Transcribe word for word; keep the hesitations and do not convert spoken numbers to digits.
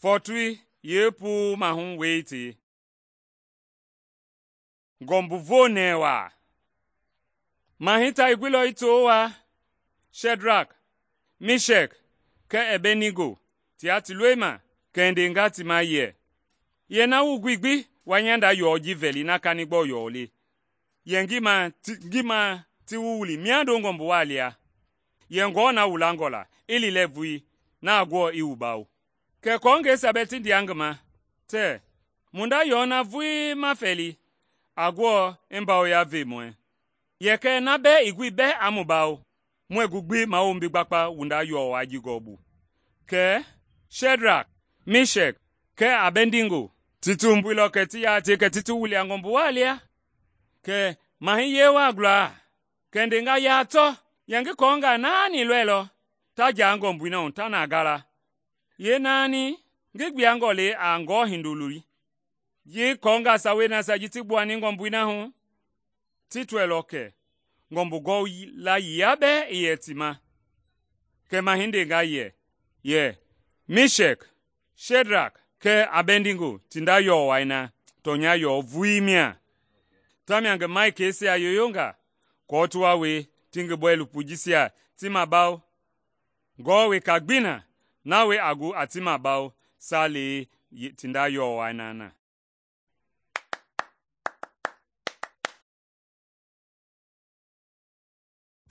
Fɔɔtoi yeepuu mahu wei tei. Ngɔmbu voonɛɛ waa. Mahɛi ta i guilɔ i to waa Shɛdraki, Mishɛki kɛɛ Ɛbɛnigo tia ti loi ma kɛ i ndenga ti ma yɛ, “Yɛ na wu gbi gbi wa nyanda yɔɔ ji vɛli na kanigbɔ yɔɔ le, yɛ ngi ma ngi ma ti wu wili miando ngɔmbu waa lia. Yɛ ngɔɔ na wu langɔ la i liilɛ vulii na a guɔ i wu bawo.” Kɛ kɔɔngɛisia bɛɛ ti ndea ngi ma tɛɛ, “Mu nda yɔɔ na vulii ma fɛli a guɔ i mbawoya ve muɛɛ. Yɛ kɛɛ na bɛɛ i gui bɛɛ aa mu bawo, muɛɛ gu gbi mawombi gbakpa wu nda yɔɔ waa ji gɔɔbu.” Kɛɛ Shɛdraki, Mishɛki kɛɛ Abɛdnigo ti tumbuilɔ kɛ ti yaa tie kɛ ti ti wili a ngɔmbu waa lia. Kɛ mahɛi yee waa gulaa kɛ i ndenga, “Yaa tɔ, yɛ ngi kɔɔngaa naani lɔɛilɔ ta jaa ngɔmbui na hu ta na gala. Yeenaani ngi gbiangɔ le a ngɔɔ hindoloi, ji kɔɔngaa sawei nasia ji ti gbuani ngɔmbui na hu ti tɔɛilɔ kɛ ngɔmbu gɔla yia bɛɛ i yɛ ti ma.” Kɛ mahɛi ndenga yɛ, “Yɛ, Mishɛki, Shɛdraki kɛɛ Abɛdnigo ti nda yɔɔ wai na tɔnya yɔɔ vulii mia.” Tamia ngi malikeisia yoyonga aako ti wa wie ti ngi bɔilopo jisia ti mabawo, ngɔɔ weka gbii na, na wie a gu a ti mabawo, saa le ti nda yɔɔ wai na na.